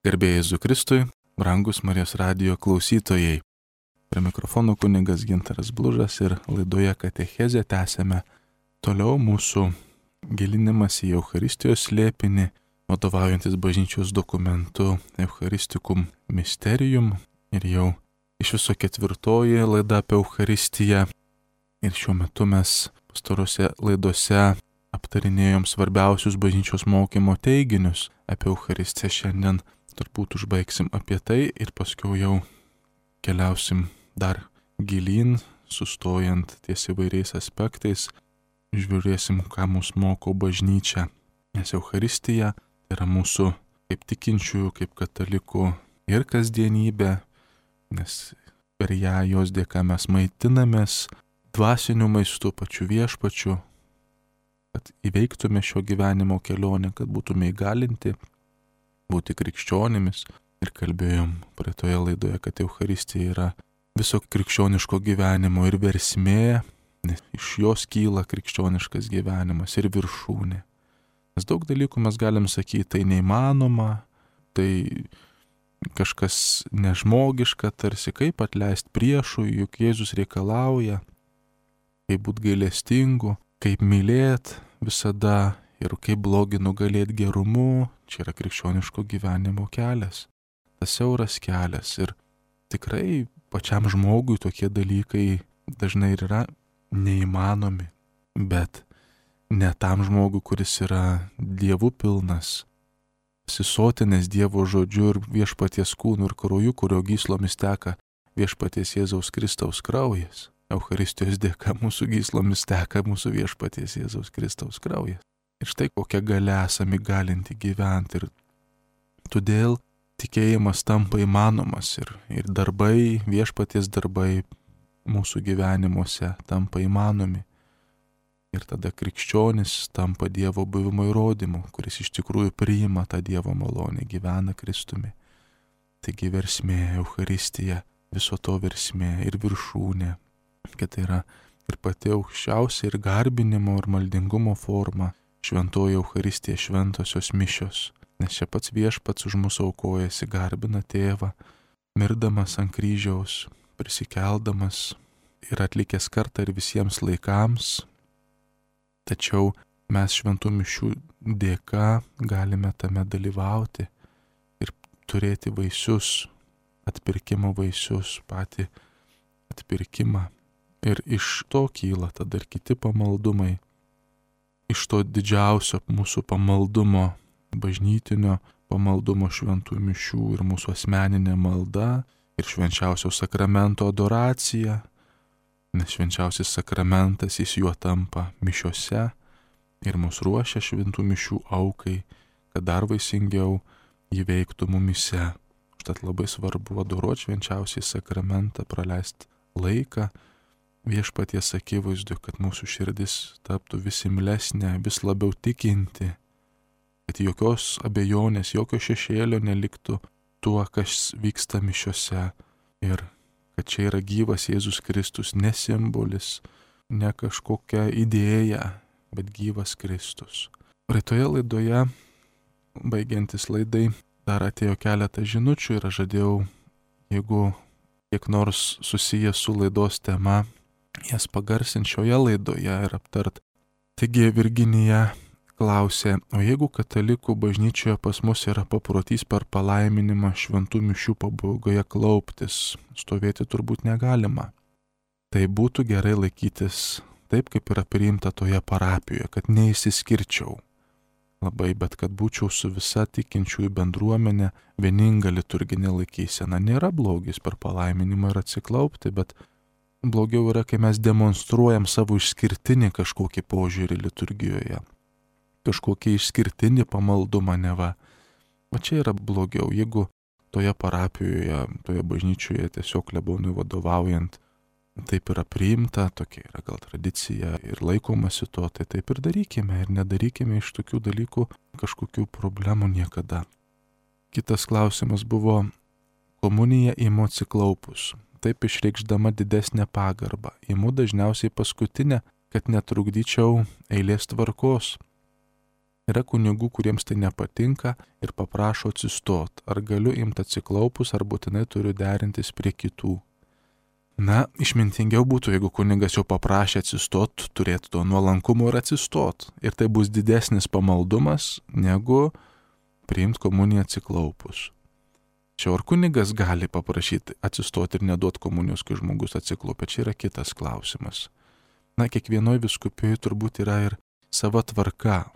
Garbėjai Jėzui Kristui, brangus Marijos radijo klausytojai. Prie mikrofono kunigas Gintaras Blužas ir laidoje Katechezė tęsėme toliau mūsų gilinimas į Eucharistijos slėpinį, vadovaujantis bažnyčios dokumentu Eucharisticum Mysterium. Ir jau iš viso 4 laida apie Eucharistiją. Ir šiuo metu mes pastarose laidose aptarinėjom svarbiausius bažnyčios mokymo teiginius apie Eucharistiją. Šiandien turbūt užbaigsim apie tai ir paskui jau keliausim dar gilyn, sustojant ties įvairiais aspektais, žiūrėsim, ką mus moko bažnyčia. Nes Eucharistija yra mūsų kaip tikinčiųjų, kaip katalikų ir kasdienybė, nes per ją jos dėka mes maitinamės dvasiniu maistu, pačiu viešpačiu, kad įveiktume šio gyvenimo kelionę, kad būtume įgalinti būti krikščionimis. Ir kalbėjom praeitoje laidoje, kad Eucharistija yra viso krikščioniško gyvenimo ir versmė, nes iš jos kyla krikščioniškas gyvenimas ir viršūnė. Nes daug dalykų mes galim sakyti, tai neįmanoma, tai kažkas nežmogiška, tarsi kaip atleisti priešui, juk Jėzus reikalauja, kaip būti gailestingu, kaip mylėti visada ir kaip blogį nugalėti gerumu. Čia yra krikščioniško gyvenimo kelias, tas siauras kelias. Ir tikrai pačiam žmogui tokie dalykai dažnai ir yra neįmanomi. Bet ne tam žmogui, kuris yra Dievu pilnas, pasisotinęs Dievo žodžiu ir viešpaties kūnu ir krauju, kurio gyslomis teka viešpaties Jėzaus Kristaus kraujas. Eucharistijos dėka mūsų gyslomis teka mūsų viešpaties Jėzaus Kristaus kraujas. Ir štai kokią galę esame įgalinti gyventi. Ir todėl tikėjimas tampa įmanomas ir darbai, viešpaties darbai mūsų gyvenimuose tampa įmanomi. Ir tada krikščionis tampa Dievo buvimo įrodymu, kuris iš tikrųjų priima tą Dievo malonę, gyvena Kristumi. Taigi versmė, Eucharistija, viso to versmė ir viršūnė, kad tai yra ir pati aukščiausia ir garbinimo ir maldingumo forma. Šventoji Eucharistija, šventosios mišios, nes čia pats viešpats už mūsų aukojasi, garbina tėvą, mirdamas ant kryžiaus, prisikeldamas ir atlikęs kartą ir visiems laikams. Tačiau mes šventų mišių dėka galime tame dalyvauti ir turėti vaisius, atpirkimo vaisius, patį atpirkimą. Ir iš to kyla tada ir kiti pamaldumai. Iš to didžiausio mūsų pamaldumo, bažnytinio pamaldumo šventų mišių ir mūsų asmeninė malda ir švenčiausio sakramento adoracija, nes švenčiausias sakramentas jis juo tampa mišiose ir mus ruošia šventų mišių aukai, kad dar vaisingiau jį veiktų mumyse. Užtat labai svarbu adoruoti švenčiausiai sakramentą, praleisti laiką viešpaties akivaizdu, kad mūsų širdis taptų vis imlesnė, vis labiau tikinti, kad jokios abejonės, jokio šešėlio neliktų tuo, kas vyksta mišiose ir kad čia yra gyvas Jėzus Kristus, ne simbolis, ne kažkokia idėja, bet gyvas Kristus. Praeitoje laidoje, baigiantis laidai, dar atėjo keletą žinučių ir aš žadėjau, jeigu kiek nors susijęs su laidos tema, jas pagarsinti šioje laidoje ir aptart. Taigi Virginija klausė, o jeigu katalikų bažnyčioje pas mus yra paprotys per palaiminimą šventų mišių pabaigoje klauptis, stovėti turbūt negalima. Tai būtų gerai laikytis taip, kaip yra priimta toje parapijoje, kad neįsiskirčiau labai, bet kad būčiau su visa tikinčiųjų bendruomenė vieninga liturginė laikysena. Nėra blogis per palaiminimą ir atsiklaupti, bet blogiau yra, kai mes demonstruojam savo išskirtinį kažkokį požiūrį liturgijoje, kažkokį išskirtinį pamaldumą neva. O čia yra blogiau, jeigu toje parapijoje, toje bažnyčioje tiesiog klebonui vadovaujant, taip yra priimta, tokia yra gal tradicija ir laikomasi to, tai taip ir darykime ir nedarykime iš tokių dalykų kažkokių problemų niekada. Kitas klausimas buvo komunija imu atsiklaupus. Taip išreikšdama didesnę pagarbą. Imu dažniausiai paskutinę, kad netrukdyčiau eilės tvarkos. Yra kunigų, kuriems tai nepatinka ir paprašo atsistot. Ar galiu imti atsiklaupus, ar būtinai turiu derintis prie kitų. Na, išmintingiau būtų, jeigu kunigas jau paprašė atsistot, turėtų to nuolankumo ir atsistot. Ir tai bus didesnis pamaldumas, negu priimti komuniją atsiklaupus. Čia ar kunigas gali paprašyti atsistoti ir neduoti komunijos, kai žmogus atsiklaupia, čia yra kitas klausimas. Na, kiekvienoje vyskupijoje turbūt yra ir sava tvarka.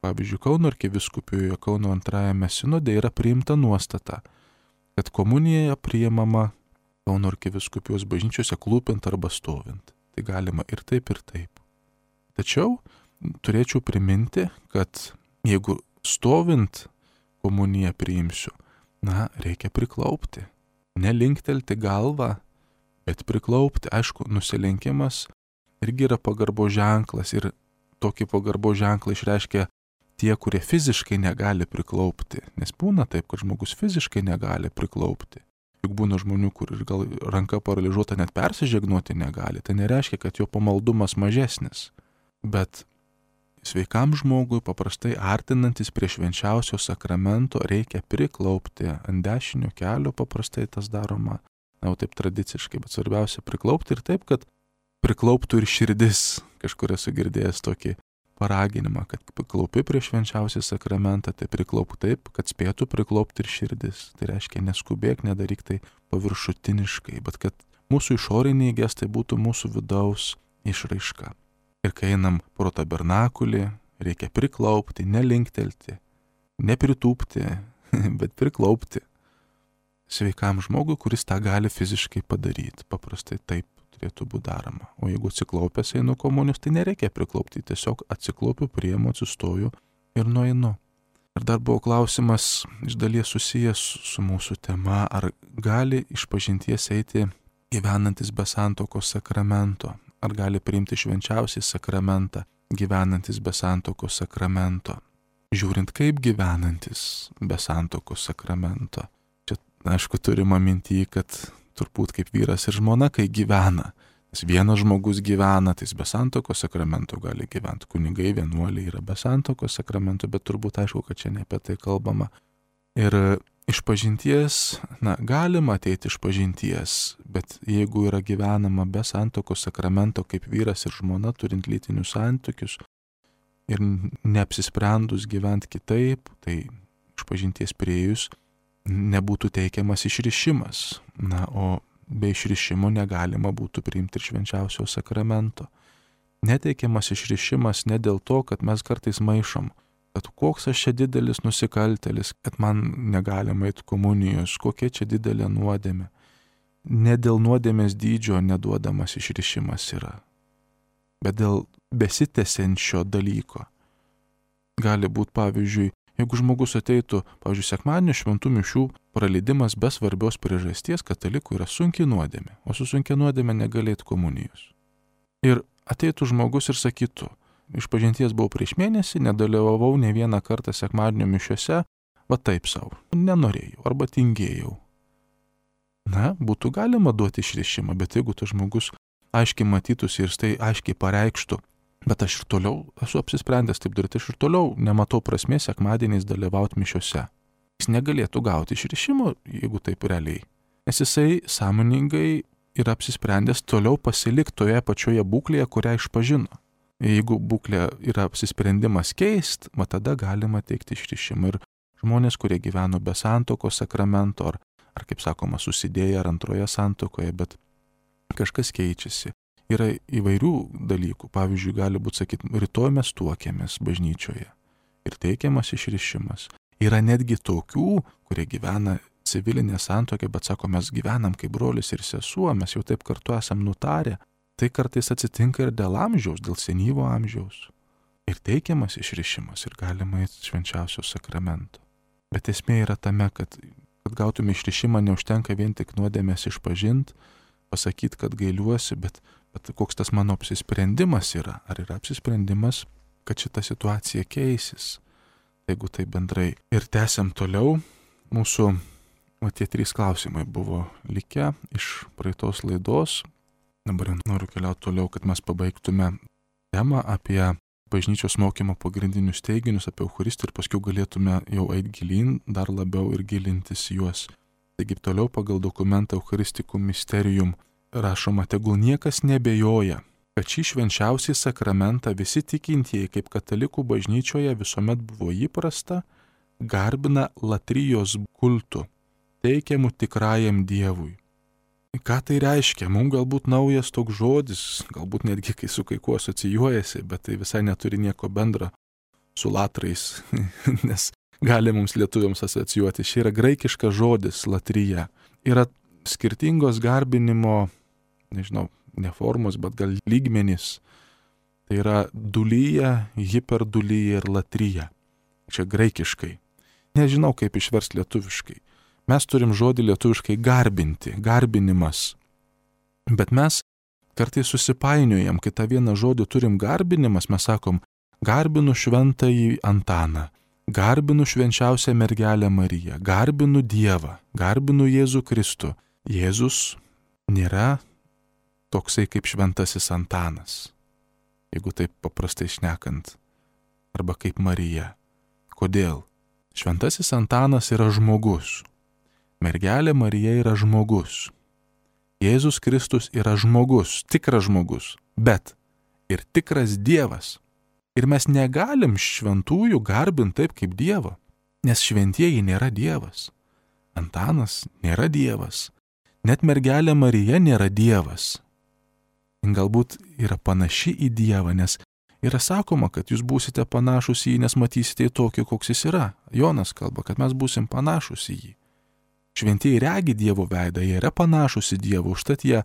Pavyzdžiui, Kauno arkivyskupijoje, Kauno antrajame sinode yra priimta nuostata, kad komunija priimama Kauno arkivyskupijos bažnyčiose klūpint arba stovint. Tai galima ir taip, ir taip. Tačiau turėčiau priminti, kad jeigu stovint komuniją priimsiu, na, reikia priklaupti. Nelinktelti galvą, bet priklaupti. Aišku, nusilenkimas irgi yra pagarbo ženklas ir tokį pagarbo ženklą išreiškia tie, kurie fiziškai negali priklaupti. Nes būna taip, kad žmogus fiziškai negali priklaupti. Juk būna žmonių, kur ir gal ranka paralyžiuota net persižegnuoti negali. Tai nereiškia, kad jo pamaldumas mažesnis. Bet sveikam žmogui paprastai artinantis prie švenčiausio sakramento reikia priklaupti. Ant dešinio kelio paprastai tas daroma, na, taip tradiciškai, bet svarbiausia priklaupti ir taip, kad priklauptų ir širdis. Kažkur esu girdėjęs tokį paraginimą, kad priklaupi prie švenčiausią sakramentą, tai priklaupk taip, kad spėtų priklaupti ir širdis. Tai reiškia, neskubėk, nedaryk tai paviršutiniškai, bet kad mūsų išoriniai gestai būtų mūsų vidaus išraiška. Ir kai einam pro tabernakulį, reikia priklaupti, nelinktelti, nepritūpti, bet priklaupti sveikam žmogui, kuris tą gali fiziškai padaryti. Paprastai taip turėtų būti daroma. O jeigu atsiklaupęs einu komunijos, tai nereikia priklaupti, tiesiog atsiklaupiu, priimu, atsistoju ir nueinu. Ir dar buvo klausimas iš dalies susijęs su mūsų tema, ar gali išpažinties eiti gyvenantis be santuokos sakramento, ar gali priimti švenčiausią sakramentą gyvenantis be santuokos sakramento. Žiūrint, kaip gyvenantis be santuokos sakramento. Čia, aišku, turima minty, kad turbūt kaip vyras ir žmona, kai gyvena. Nes vienas žmogus gyvena, tai jis be santuokos sakramento gali gyventi. Kunigai, vienuoliai yra be santuokos sakramento, bet turbūt aišku, kad čia ne apie tai kalbama. Ir išpažinties, na, galima ateiti išpažinties, bet jeigu yra gyvenama be santuokos sakramento kaip vyras ir žmona, turint lytinius santykius ir neapsisprendus gyventi kitaip, tai išpažinties priėjus nebūtų teikiamas išrišimas. Na, o be išrišimo negalima būtų priimti ir švenčiausio sakramento. Neteikiamas išrišimas ne dėl to, kad mes kartais maišom, kad koks aš čia didelis nusikaltėlis, kad man negalima eiti komunijos, kokia čia didelė nuodėmė. Ne dėl nuodėmės dydžio neduodamas išrišimas yra, bet dėl besitęsiančio dalyko. Gali būti, pavyzdžiui, jeigu žmogus ateitų, pavyzdžiui, sekmadienio šventų mišių praleidimas be svarbios priežasties, katalikų yra sunki nuodėmė, o su sunkia nuodėmė negalėtų komunijos. Ir ateitų žmogus ir sakytų, išpažinties buvau prieš mėnesį, nedalyvavau ne vieną kartą sekmadienio mišiuose, va taip savo, nenorėjau arba tingėjau. Na, būtų galima duoti išrišimą, bet jeigu tas žmogus aiškiai matytųsi ir tai aiškiai pareikštų, bet aš ir toliau esu apsisprendęs taip daryti, aš ir toliau nematau prasmės sekmadieniais dalyvauti mišiuose. Jis negalėtų gauti išrišimo, jeigu taip realiai. Nes jisai sąmoningai yra apsisprendęs toliau pasilikti toje pačioje būklėje, kurią išpažino. Jeigu būklė yra apsisprendimas keist, tada galima teikti išrišimą. Ir žmonės, kurie gyveno be santuokos sakramento, ar kaip sakoma, susidėję ar antroje santuokoje, bet kažkas keičiasi. Yra įvairių dalykų. Pavyzdžiui, gali būti sakyti, rytoj mes tuokėmės bažnyčioje ir teikiamas išrišimas. Yra netgi tokių, kurie gyvena civilinė santuokė, bet sako, mes gyvenam kaip brolis ir sesuo, mes jau taip kartu esam nutarę. Tai kartais atsitinka ir dėl amžiaus, dėl senyvo amžiaus. Ir teikiamas išrišimas ir galima eiti švenčiausio sakramento. Bet esmė yra tame, kad gautume išrišimą, neužtenka vien tik nuodėmės išpažinti, pasakyti, kad gailiuosi, bet koks tas mano apsisprendimas yra. Ar yra apsisprendimas, kad šita situacija keisis? Jeigu tai bendrai. Ir tęsiam toliau. Mūsų tie 3 klausimai buvo likę iš praeitos laidos. Dabar noriu keliauti toliau, kad mes pabaigtume temą apie bažnyčios mokymo pagrindinius teiginius apie Eucharistiją ir paskui galėtume jau eiti gilyn, dar labiau ir gilintis juos. Taigi toliau pagal dokumentą Eucharisticum Mysterium rašoma, tegul niekas nebejoja, kad šį švenčiausią sakramentą visi tikintieji, kaip katalikų bažnyčioje visuomet buvo įprasta, garbina latrijos kultu, teikiamu tikrajam Dievui. Ką tai reiškia? Mums galbūt naujas toks žodis, galbūt netgi kai su kai kuo asocijuojasi, bet tai visai neturi nieko bendro su latrais, nes gali mums lietuviams asocijuoti. Šia yra graikiškas žodis latrija. Yra skirtingos garbinimo, nežinau, ne formos, bet gal lygmenys. Tai yra dulyja, hiperdulyja ir latrija. Čia graikiškai. Nežinau, kaip išversti lietuviškai. Mes turim žodį lietuviškai garbinti, garbinimas. Bet mes kartais susipainiojam, kai tą vieną žodį turim garbinimas, mes sakom, garbinu šventąjį Antaną, garbinu švenčiausią mergelę Mariją, garbinu Dievą, garbinu Jėzų Kristų. Jėzus nėra toksai kaip šventasis Antanas, jeigu taip paprastai šnekant, arba kaip Marija. Kodėl? Šventasis Antanas yra žmogus. Mergelė Marija yra žmogus. Jėzus Kristus yra žmogus, tikras žmogus, bet ir tikras Dievas. Ir mes negalim šventųjų garbinti taip kaip Dievo, nes šventieji nėra Dievas. Antanas nėra Dievas. Net mergelė Marija nėra Dievas. Galbūt yra panaši į Dievą, nes yra sakoma, kad jūs būsite panašus į jį, nes matysite tokį, koks jis yra. Jonas kalba, kad mes būsim panašus į jį. Šventieji regi Dievo veidą, jie yra panašus į Dievą, užtat jie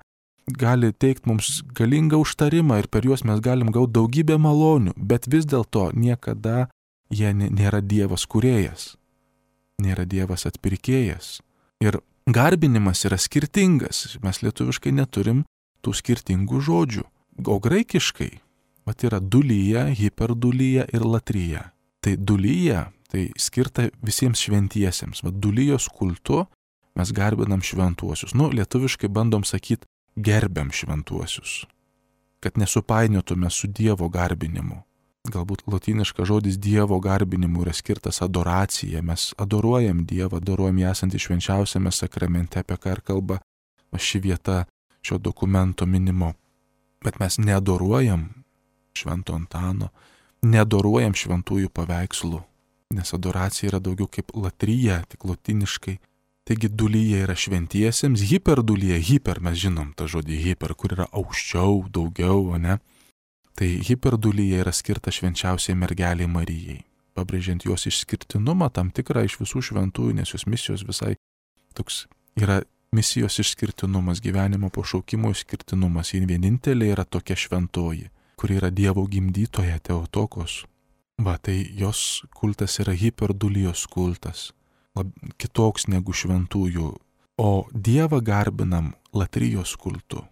gali teikti mums galingą užtarimą ir per juos mes galim gauti daugybę malonių, bet vis dėlto niekada jie nėra Dievas kūrėjas, nėra Dievas atpirkėjas. Ir garbinimas yra skirtingas, mes lietuviškai neturim tų skirtingų žodžių, o graikiškai yra dulyja, hiperdulyja ir latrija. Tai dulyja, tai skirta visiems šventiesiems, dulyjos kultu mes garbinam šventuosius. Lietuviškai bandom sakyti gerbiam šventuosius, kad nesupainiotume su Dievo garbinimu. Galbūt lotyniškas žodis Dievo garbinimu yra skirtas adoracija. Mes adoruojam Dievą, adoruojam jį esantį švenčiausiame sakramente, apie ką ir kalba ši vieta šio dokumento minimo. Bet mes neadoruojam Švento Antano, neadoruojam šventųjų paveikslų, nes adoracija yra daugiau kaip latrija, tik lotyniškai. Taigi dulyja yra šventiesiems, hiperdulyja, mes žinom tą žodį hiper, kur yra aukščiau, daugiau, o ne? Tai hiperdulyja yra skirta švenčiausiai mergeliai Marijai, pabrėžiant jos išskirtinumą tam tikrą iš visų šventųjų, nes jos misijos visai toks yra misijos išskirtinumas, gyvenimo pašaukimo išskirtinumas. Ji vienintelė yra tokia šventoji, kuri yra Dievo gimdytoja Teotokos. Tai jos kultas yra hiperdulijos kultas, kitoks negu šventųjų, o Dievą garbinam latrijos kultu,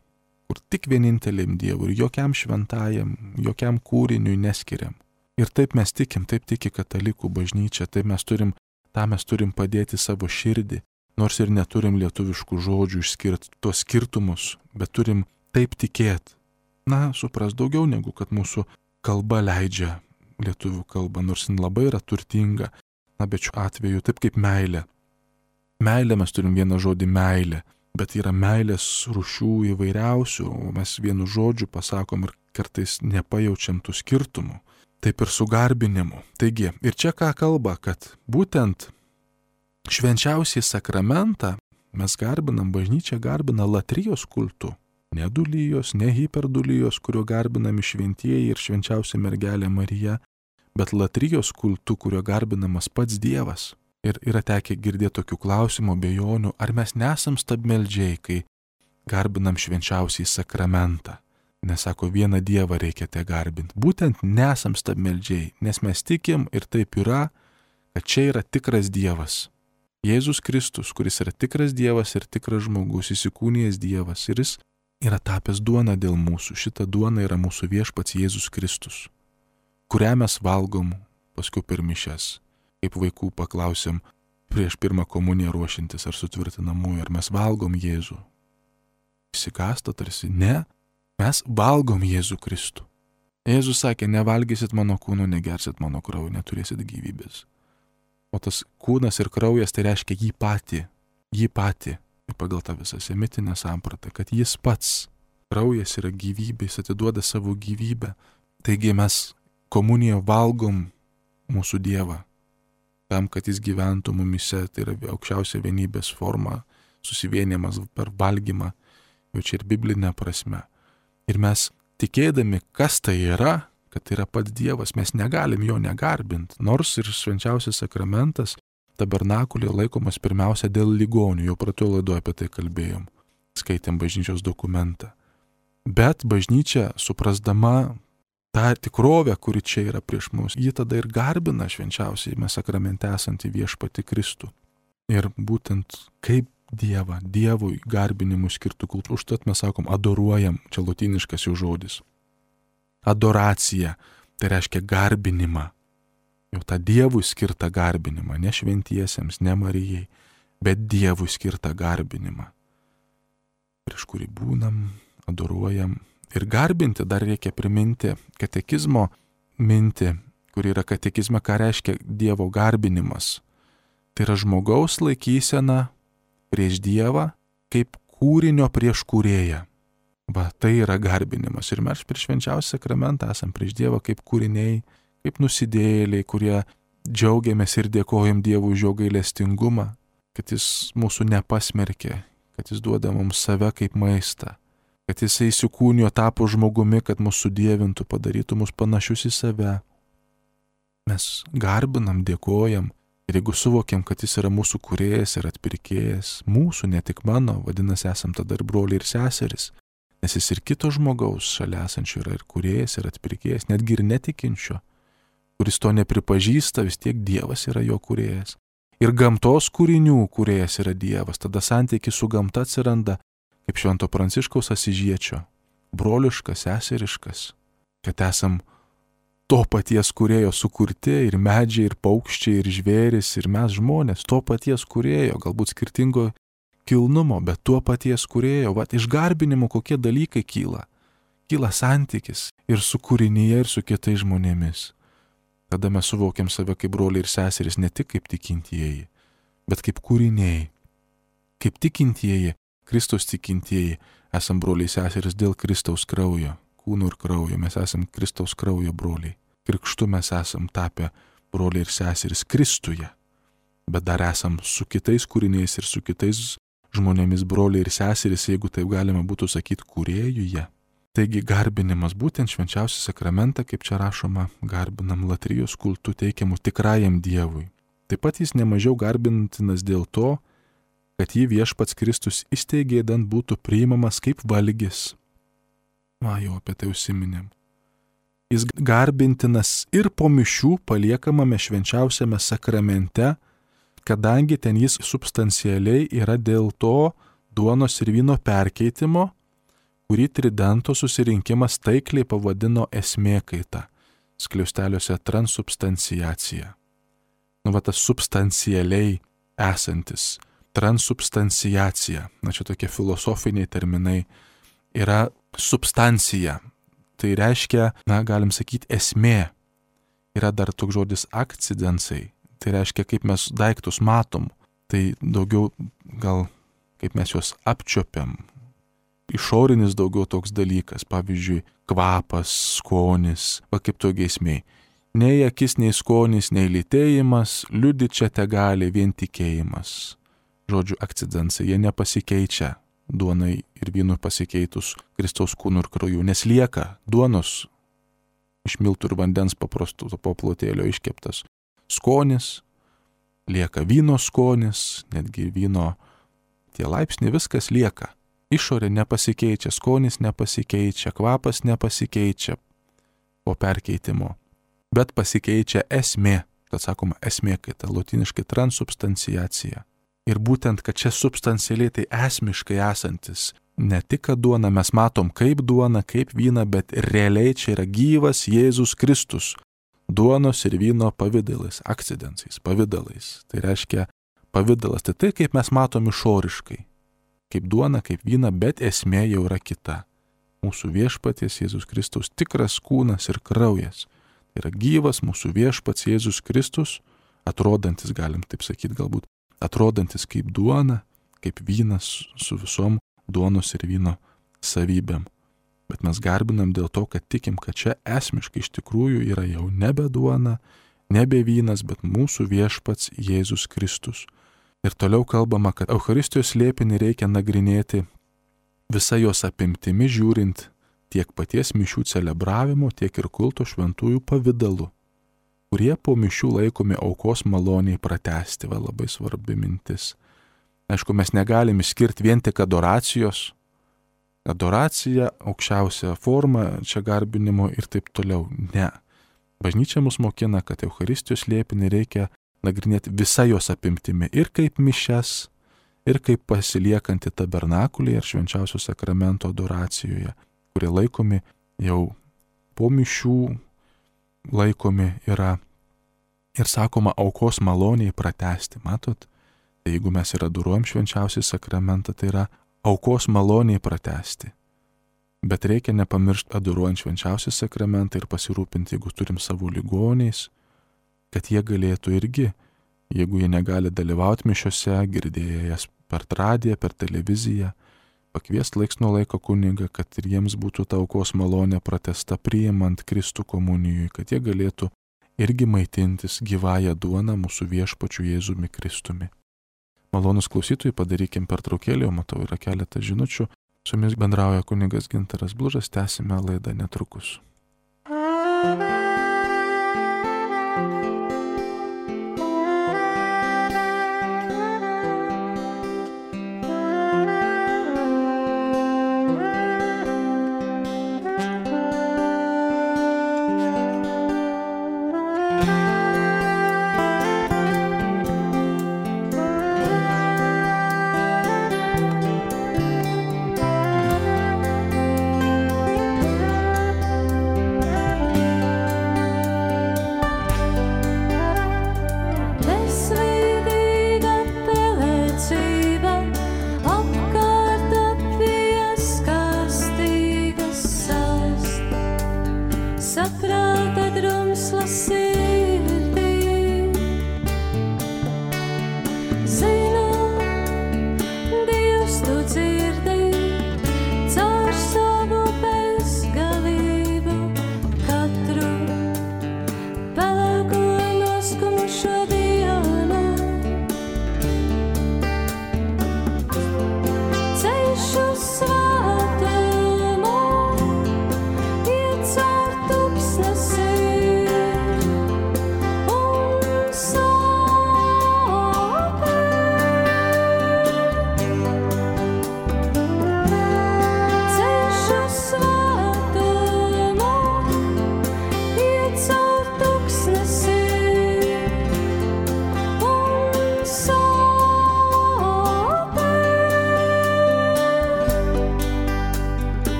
kur tik vieninteliam Dievui ir jokiam šventajam, jokiam kūriniui neskiriam. Ir taip mes tikim, taip tiki katalikų bažnyčia, taip mes turim padėti savo širdį, nors ir neturim lietuviškų žodžių išskirti tuos skirtumus, bet turim taip tikėti. Supras daugiau negu kad mūsų kalba leidžia, lietuvių kalba, nors jin labai yra turtinga. Bet šiuo atveju taip kaip meilė. Meilė mes turim vieną žodį meilė, bet yra meilės rūšių įvairiausių, o mes vienu žodžiu pasakom ir kartais nepajaučiam tų skirtumų. Taip ir su garbinimu. Taigi, ir čia ką kalba, kad būtent švenčiausiai sakramentą mes garbinam, bažnyčia garbina latrijos kultu. Ne dulyjos, ne hiperdulyjos, kurio garbinami šventieji ir švenčiausia mergelė Marija, bet latrijos kultu, kurio garbinamas pats Dievas. Ir yra tekę girdėti tokių klausimų, abejonių, ar mes nesam stabmeldžiai, kai garbinam švenčiausiai sakramentą. Nes sako, vieną Dievą reikia te garbinti. Būtent nesam stabmeldžiai, nes mes tikim ir taip yra, kad čia yra tikras Dievas. Jėzus Kristus, kuris yra tikras Dievas ir tikras žmogus, įsikūnijęs Dievas, ir jis yra tapęs duona dėl mūsų. Šita duona yra mūsų viešpats Jėzus Kristus, kurią mes valgom paskui per mišias. Kaip vaikų paklausėm prieš pirmą komuniją ruošintis ar sutvirtinamųjų, ar mes valgom Jėzų. Įsikasta tarsi, ne, mes valgom Jėzų Kristų. Jėzus sakė, nevalgysit mano kūno, negersit mano kraujo, neturėsit gyvybės. O tas kūnas ir kraujas tai reiškia jį patį. Ir pagal tą visą semitinę sampratą, kad jis pats, kraujas yra gyvybė, jis atiduoda savo gyvybę. Taigi mes komuniją valgom mūsų Dievą, tam, kad jis gyventų mumise, tai yra aukščiausia vienybės forma, susivienimas per valgymą, jau čia ir biblinė prasme. Ir mes tikėdami, kas tai yra, kad tai yra pats Dievas, mes negalim jo negarbinti, nors ir švenčiausias sakramentas tabernakulėje laikomas pirmiausia dėl ligonių, jau praeitoje laidoje apie tai kalbėjom, skaitėm bažnyčios dokumentą. Bet bažnyčia, suprasdama tą tikrovę, kuri čia yra prieš mus, ji tada ir garbina švenčiausiai sakramente esantį viešpatį Kristų. Ir būtent kaip Dievą, Dievui garbinimų skirtų kultų, užtat mes sakom adoruojam, čia lotyniškas jau žodis. Adoracija, tai reiškia garbinimą. Jau tą Dievui skirtą garbinimą, ne šventiesiems, ne Marijai, bet Dievui skirtą garbinimą, prieš kurį būnam, adoruojam. Ir garbinti dar reikia priminti katekizmo mintį, kuri yra katekizme, ką reiškia Dievo garbinimas. Tai yra žmogaus laikysena prieš Dievą kaip kūrinio prieš kūrėją. Va, tai yra garbinimas. Ir mes prieš švenčiausią sakramentą esam prieš Dievą kaip kūriniai, kaip nusidėjėliai, kurie džiaugiamės ir dėkojam Dievui už jo gailestingumą, kad jis mūsų nepasmerkė, kad jis duoda mums save kaip maistą, kad jisai įsikūnijo, tapo žmogumi, kad mūsų dievintų, padarytų mus panašius į save. Mes garbinam, dėkojam ir jeigu suvokiam, kad jis yra mūsų kūrėjas ir atpirkėjas, mūsų, ne tik mano, vadinasi, esam tada ir broliai ir seserys, nes jis ir kito žmogaus šalia esančio yra ir kūrėjas ir atpirkėjas, netgi ir netikinčio, kuris to nepripažįsta, vis tiek Dievas yra jo kūrėjas. Ir gamtos kūrinių kūrėjas yra Dievas, tada santykis su gamta atsiranda kaip Švento Pranciškaus Asyžiečio, broliškas, seseriškas, kad esam to paties kūrėjo sukurti ir medžiai, ir paukščiai, ir žvėris, ir mes žmonės, to paties kūrėjo, galbūt skirtingo kilnumo, bet tuo paties kūrėjo. Vat iš garbinimo kokie dalykai kyla. Kyla santykis ir su kūrinyje, ir su kitais žmonėmis. Tada mes suvokiam save kaip broliai ir seserys ne tik kaip tikintieji, bet kaip kūriniai. Kaip tikintieji, Kristaus tikintieji, esam broliai seserys dėl Kristaus kraujo, kūno ir kraujo, mes esam Kristaus kraujo broliai. Krikštu mes esam tapę broliai ir seserys Kristuje, bet dar esam su kitais kūriniais ir su kitais žmonėmis broliai ir seserys, jeigu taip galima būtų sakyti, kūrėjuje. Taigi garbinimas būtent švenčiausią sakramentą, kaip čia rašoma, garbinam latrijos kultu teikiamų tikrajam Dievui. Taip pat jis nemažiau garbintinas dėl to, kad jį viešpats Kristus įsteigė, dant būtų priimamas kaip valgis. Jau apie tai užsiminėm. Jis garbintinas ir po mišių paliekamame švenčiausiame sakramente, kadangi ten jis substancialiai yra dėl to duonos ir vyno perkeitimo, kurį Tridento susirinkimas taikliai pavadino esmėkaita, skliausteliuose transubstanciacija. Tas substancialiai esantis, transubstanciacija, čia tokie filosofiniai terminai, yra substancija. Tai reiškia, galim sakyti, esmė. Yra dar toks žodis akcidensai, tai reiškia, kaip mes daiktus matom, tai daugiau gal kaip mes juos apčiopiam. Išorinis daugiau toks dalykas, pavyzdžiui, kvapas, skonis, kaip to giesmėj. Nei akis, nei skonis, nei lytėjimas, liudyti čia tegali vien tikėjimas. Žodžiu, akcidensai, jie nepasikeičia duonai ir vynui pasikeitus Kristaus kūnų ir krauju, nes lieka duonos iš miltų ir vandens paprastų paplotėlio iškeptas skonis, lieka vyno skonis, netgi vyno tie laipsniai, viskas lieka. Išorė nepasikeičia, skonis nepasikeičia, kvapas nepasikeičia po perkeitimo, bet pasikeičia esmė, kad sakoma esmė, kai ta lotyniškai transubstanciacija. Ir būtent, kad čia substancialiai tai esmiškai esantis, ne tik, kad duona mes matom kaip duona, kaip vyną, bet realiai čia yra gyvas Jėzus Kristus, duonos ir vyno pavidalais, akcidensais, pavidalais. Tai reiškia pavidalas, tai kaip mes matom išoriškai. Kaip duona, kaip vyna, bet esmė jau yra kita. mūsų viešpaties Jėzus Kristaus tikras kūnas ir kraujas. Tai yra gyvas mūsų viešpats Jėzus Kristus, atrodantis, galim taip sakyti galbūt, atrodantis kaip duona, kaip vynas su visom duonos ir vyno savybėm. Bet mes garbinam dėl to, kad tikim, kad čia esmiškai iš tikrųjų yra jau nebe duona, nebe vynas, bet mūsų viešpats Jėzus Kristus. Ir toliau kalbama, kad Eucharistijos slėpinį reikia nagrinėti visa jos apimtimi, žiūrint tiek paties mišių celebravimo, tiek ir kulto šventųjų pavidalu, kurie po mišių laikomi aukos maloniai pratęsti. Va, labai svarbi mintis. Aišku, mes negalim išskirti vien tik adoracijos. Adoracija, aukščiausia forma, čia garbinimo ir taip toliau. Ne. Bažnyčia mus mokina, kad Eucharistijos slėpinį reikia nagrinėti visa jos apimtimi. Ir kaip mišes, ir kaip pasiliekantį tabernakulį ir švenčiausio sakramento adoracijoje, kurie laikomi jau po mišių, laikomi yra ir sakoma aukos maloniai pratęsti. Matot, tai jeigu mes ir adoruojam švenčiausią sakramentą, tai yra aukos maloniai pratęsti. Bet reikia nepamiršti adoruojant švenčiausią sakramentą ir pasirūpinti, jeigu turim savo ligoniais, kad jie galėtų irgi, jeigu jie negali dalyvauti mišiose, girdėję jas per radiją, per televiziją, pakviesti laiks nuo laiko kunigą, kad ir jiems būtų ta aukos malonė pratęsta priimant Kristų komunijui, kad jie galėtų irgi maitintis gyvąją duoną mūsų viešpačiu Jėzumi Kristumi. Malonus klausytojai, padarykim pertraukėlį, o matau yra keletą žinučių. Su jumis bendrauja kunigas Gintaras Blužas, tęsime laidą netrukus.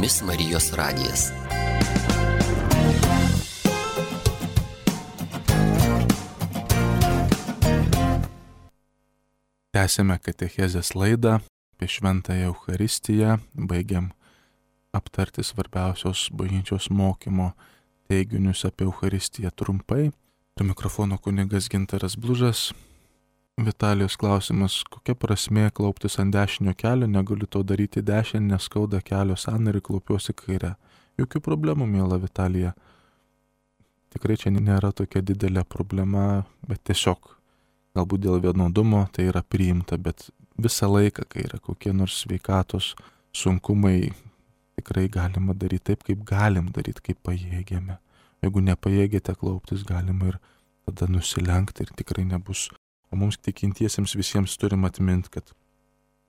jumis Marijos radijas. Tęsėme katechezės laidą apie Šventąją Eucharistiją, baigiam aptarti svarbiausios bažnyčios mokymo teiginius apie Eucharistiją trumpai. Prie mikrofono kunigas Gintaras Blužas. Vitalijos klausimas, kokia prasmė klauptis ant dešinio kelio, negaliu to daryti dešinį, nes skauda kelio sąnarį, klaupiuosi kairę. Jokių problemų, miela Vitalija. Tikrai čia nėra tokia didelė problema, bet tiesiog galbūt dėl vienodumo tai yra priimta, bet visą laiką, kai yra kokie nors sveikatos sunkumai, tikrai galima daryti taip, kaip galim daryti, kaip pajėgėme. Jeigu nepajėgėte klauptis, galima ir tada nusilenkti ir tikrai nebus. O mums tikintiesiems visiems turim atminti, kad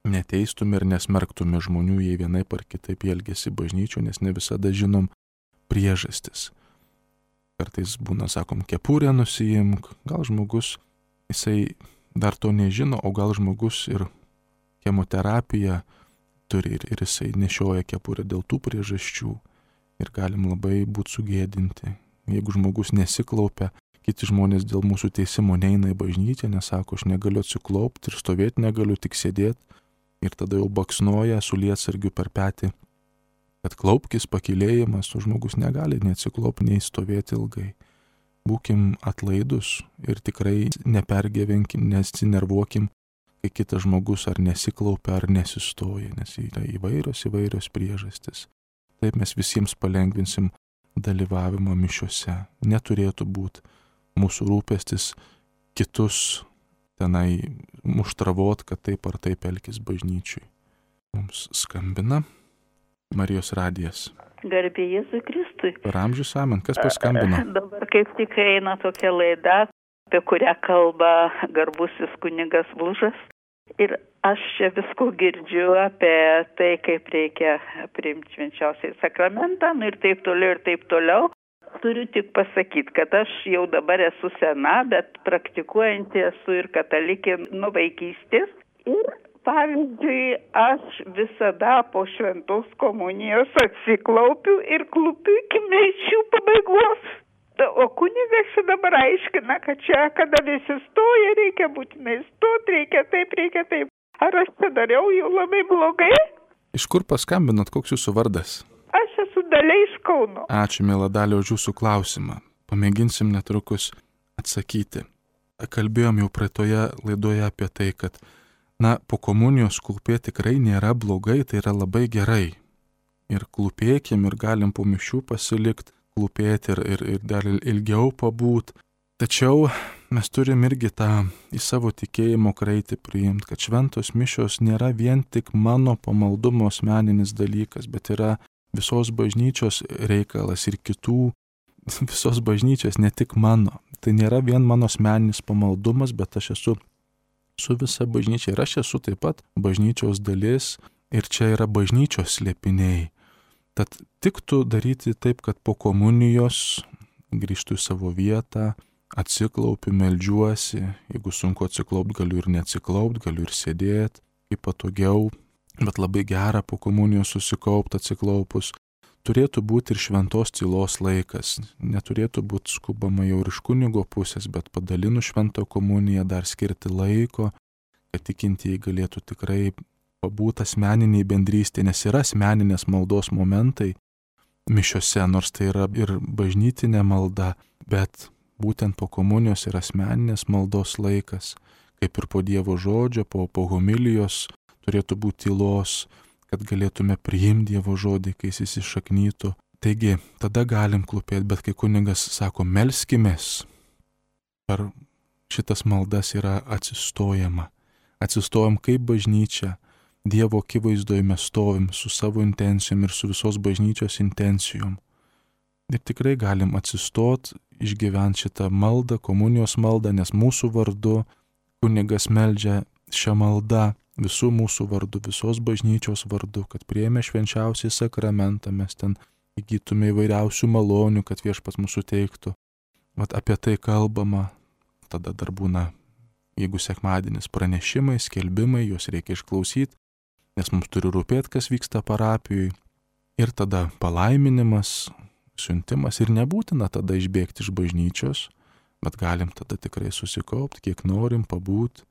neteistume ir nesmerktume žmonių, jei vienaip ar kitaip elgesi bažnyčių, nes ne visada žinom priežastis. Kartais būna, sakom, kepurę nusiimk, gal žmogus, jisai dar to nežino, o gal žmogus ir chemoterapiją turi ir jisai nešioja kepurę dėl tų priežasčių ir galim labai būti sugėdinti. Jeigu žmogus nesiklaupia, kiti žmonės dėl mūsų teisimo neina į bažnyčią, nes sako, aš negaliu atsiklaupti ir stovėti negaliu, tik sėdėti. Ir tada jau baksnoja su lietsargiu per petį, kad klaupkis, pakylėjimas, o žmogus negali nei atsiklaupti, nei stovėti ilgai. Būkim atlaidus ir tikrai nepergyvenkim, nesinervuokim, kai kitas žmogus ar nesiklaupia, ar nesistoja, nes yra įvairios priežastis. Taip mes visiems palengvinsim dalyvavimą mišiuose. Neturėtų būti mūsų rūpestis kitus tenai muštravot, kad taip ar taip elkis bažnyčiui. Mums skambina Marijos radijas. Garbė Jėzui Kristui. Per amžius amen. Kas paskambino? Dabar kaip tik eina tokia laida, apie kurią kalba garbusis kunigas Blužas. Ir aš čia visko girdžiu apie tai, kaip reikia priimti švenčiausiąjį sakramentą, ir taip toliau. Turiu tik pasakyti, kad aš jau dabar esu sena, bet praktikuojanti esu ir katalikė nuo vaikystės. Ir pavyzdžiui, aš visada po šventos komunijos atsiklaupiu ir klupiu iki mišių pabaigos. O kunigas čia dabar aiškina, kad čia, kada visi stoja, reikia būtinai stoti, reikia taip. Ar aš čia dariau jau labai blogai? Iš kur paskambinot, koks jūsų vardas? Aš esu Dalia iš Kauno. Ačiū, miela Dalia, už jūsų klausimą. Pamėginsim netrukus atsakyti. Kalbėjom jau praeitoje laidoje apie tai, kad, po komunijos klūpėti tikrai nėra blogai, tai yra labai gerai. Ir klūpėkim ir galim po mišių pasilikti, klūpėti ir dar ilgiau pabūt. Tačiau mes turim irgi tą į savo tikėjimo kraitį priimti, kad šventos mišios nėra vien tik mano pamaldumo asmeninis dalykas, bet yra visos bažnyčios reikalas ir kitų, visos bažnyčios, ne tik mano. Tai nėra vien mano asmeninis pamaldumas, bet aš esu su visa bažnyčia ir aš esu taip pat bažnyčios dalis ir čia yra bažnyčios slėpiniai. Tad tiktų daryti taip, kad po komunijos grįžtų į savo vietą, atsiklaupiu, meldžiuosi, jeigu sunku atsiklaupti, galiu ir neatsiklaupti, galiu ir sėdėti, kaip patogiau. Bet labai gera po komunijos susikaupti atsiklaupus. Turėtų būti ir šventos tylos laikas. Neturėtų būti skubama jau ir iš kunigo pusės, bet padalinus šventą komuniją dar skirti laiko, kad tikintieji galėtų tikrai pabūti asmeniniai bendrystė, nes yra asmeninės maldos momentai mišiose, nors tai yra ir bažnytinė malda, bet būtent po komunijos yra asmeninės maldos laikas, kaip ir po Dievo žodžio, po homilijos, turėtų būti tylos, kad galėtume priimti Dievo žodį, kai jis įsišaknytų. Taigi, tada galim klūpėti, bet kai kunigas sako, melskimės, per šitas maldas yra atsistojama. Atsistojam kaip bažnyčia, Dievo akivaizdoje mes stovim su savo intencijom ir su visos bažnyčios intencijom. Ir tikrai galim atsistot, išgyventi šitą maldą, komunijos maldą, nes mūsų vardu kunigas meldžia šią maldą, visų mūsų vardu, visos bažnyčios vardu, kad priėmę švenčiausią sakramentą mes ten įgytume įvairiausių malonių, kad viešpats mūsų teiktų. Vat apie tai kalbama, tada dar būna, jeigu sekmadienis pranešimai, skelbimai, juos reikia išklausyti, nes mums turi rūpėti, kas vyksta parapijui. ir tada palaiminimas, siuntimas ir nebūtina tada išbėgti iš bažnyčios, bet galim tada tikrai susikaupti, kiek norim, pabūt.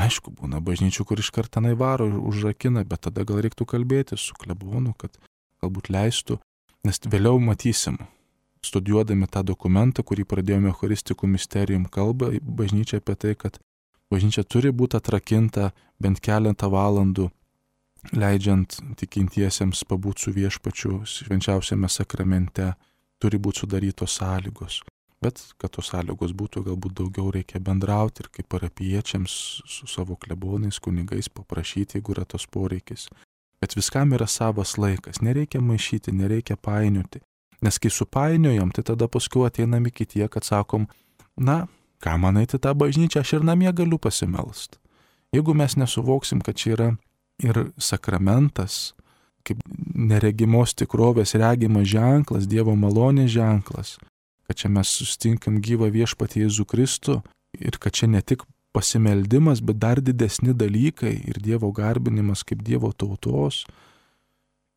Aišku, būna bažnyčių, kur iš karto tenai varo ir užrakina, bet tada gal reiktų kalbėti su klebonu, kad galbūt leistų, nes vėliau matysim, studijuodami tą dokumentą, kurį pradėjome Eucharistikų misterijum kalbą, bažnyčia apie tai, kad bažnyčia turi būti atrakinta bent keletą valandų, leidžiant tikintiesiems pabūti su viešpačiu švenčiausiame sakramente, turi būti sudarytos sąlygos. Bet, kad tos sąlygos būtų, galbūt daugiau reikia bendrauti ir kaip parapijiečiams su savo klebonais, kunigais paprašyti, jeigu yra tos poreikis. Bet viskam yra savas laikas, nereikia maišyti, nereikia painioti. Nes kai supainiojam, tai tada paskui ateinam iki tie, kad sakom, na, ką man eiti tą bažnyčią, aš ir namie galiu pasimelst. Jeigu mes nesuvoksim, kad čia yra ir sakramentas, kaip neregimos tikrovės regimas ženklas, Dievo malonės ženklas, kad čia mes sustinkam gyvą viešpatį Jėzų Kristų ir kad čia ne tik pasimeldimas, bet dar didesni dalykai ir Dievo garbinimas kaip Dievo tautos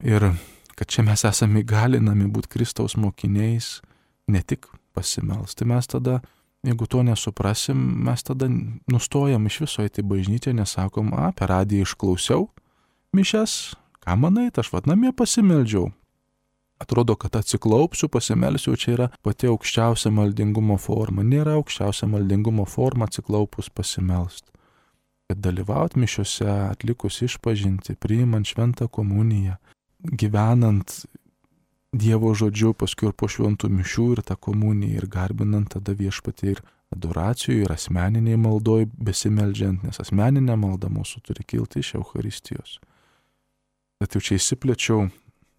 ir kad čia mes esame įgalinami būti Kristaus mokiniais, ne tik pasimelsti. Tai mes tada, jeigu to nesuprasim, mes tada nustojam iš viso eiti bažnyčią, nesakom, per radiją išklausiau mišias, ką manai, aš namie pasimeldžiau. Atrodo, kad atsiklaupsiu, pasimelsiu, čia yra pati aukščiausia maldingumo forma. Nėra aukščiausia maldingumo forma atsiklaupus pasimelst. Bet dalyvauti mišiuose, atlikus išpažinti, priimant šventą komuniją, gyvenant Dievo žodžiu, paskui ir po šventų mišių ir tą komuniją ir garbinant tada viešpatį ir adoracijų ir asmeniniai maldoj besimeldžiant, nes asmeninė malda mūsų turi kilti iš Eucharistijos. Bet jau čia įsiplėčiau.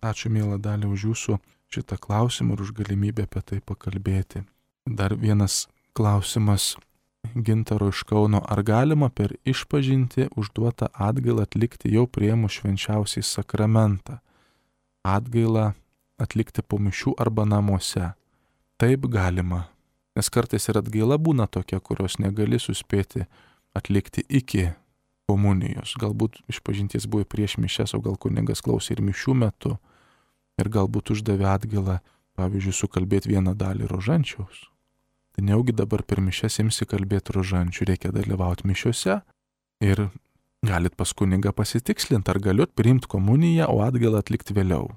Ačiū, miela Dalia, už jūsų šitą klausimą ir už galimybę apie tai pakalbėti. Dar vienas klausimas Gintaro iš Kauno. Ar galima per išpažinti užduotą atgailą atlikti jau priėmus švenčiausiai sakramentą? Atgailą atlikti po mišių arba namuose. Taip galima. Nes kartais ir atgaila būna tokia, kurios negali suspėti atlikti iki komunijos. Galbūt išpažinties buvo prieš mišias, o gal kunigas klausė ir mišių metu. Ir galbūt uždavė atgailą, pavyzdžiui, sukalbėti vieną dalį rožančiaus. Tai neugi dabar per mišias imsi kalbėti rožančių, reikia dalyvauti mišiuose ir galit pas kunigą pasitikslinti, ar galiu priimti komuniją, o atgailą atlikti vėliau.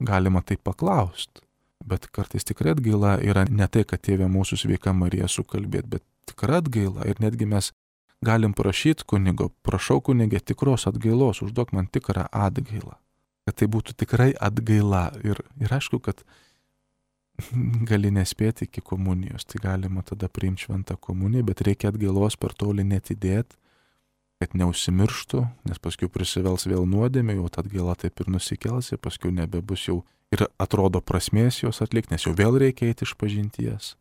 Galima taip paklausti, bet kartais tikrai atgaila yra ne tai, kad Tėve mūsų sveika Marija sukalbėti, bet tikra atgaila ir netgi mes galim prašyti kunigo, prašau kunigė tikros atgailos, užduok man tikrą atgailą, kad tai būtų tikrai atgaila ir aišku, kad gali nespėti iki komunijos, tai galima tada priimti šventą komuniją, bet reikia atgailos per toli netidėti, kad neužsimirštų, nes paskui prisivels vėl nuodėmė, jau ta atgaila taip ir nusikels, ir paskui nebebus jau ir atrodo prasmės jos atlikti, nes jau vėl reikia eiti iš pažinties.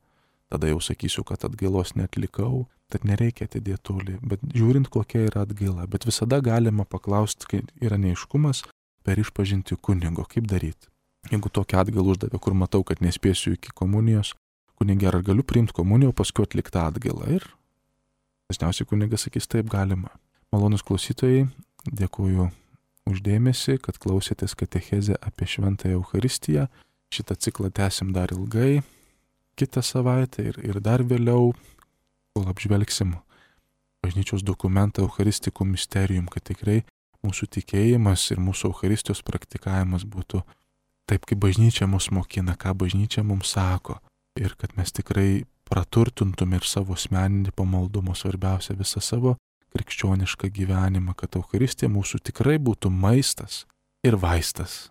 Tada jau sakysiu, kad atgailos neatlikau, tad nereikia atidėti toli, bet žiūrint, kokia yra atgaila. Bet visada galima paklausti, kai yra neaiškumas, per išpažinti kunigo, kaip daryti. Jeigu tokią atgailą uždavė, kur matau, kad nespėsiu iki komunijos, kunigė, ar galiu priimti komuniją, o paskui atlikti atgailą. Ir dažniausiai kunigas sakys, taip galima. Malonus klausytojai, dėkuoju už dėmesį, kad klausėtės katechezę apie šventąją Eucharistiją. Šitą ciklą tęsim dar ilgai, kitą savaitę ir dar vėliau, kol apžvelgsim bažnyčios dokumentą Eucharistikų misterijum, kad tikrai mūsų tikėjimas ir mūsų Eucharistijos praktikavimas būtų taip, kaip bažnyčia mus mokina, ką bažnyčia mums sako. Ir kad mes tikrai praturtintum ir savo asmeninį pamaldumą, svarbiausia visą savo krikščionišką gyvenimą, kad Eucharistija mūsų tikrai būtų maistas ir vaistas.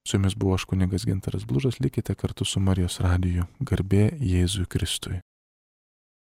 Su jumis buvo aš kunigas Gintaras Blužas, likite kartu su Marijos radiju. Garbė Jėzui Kristui.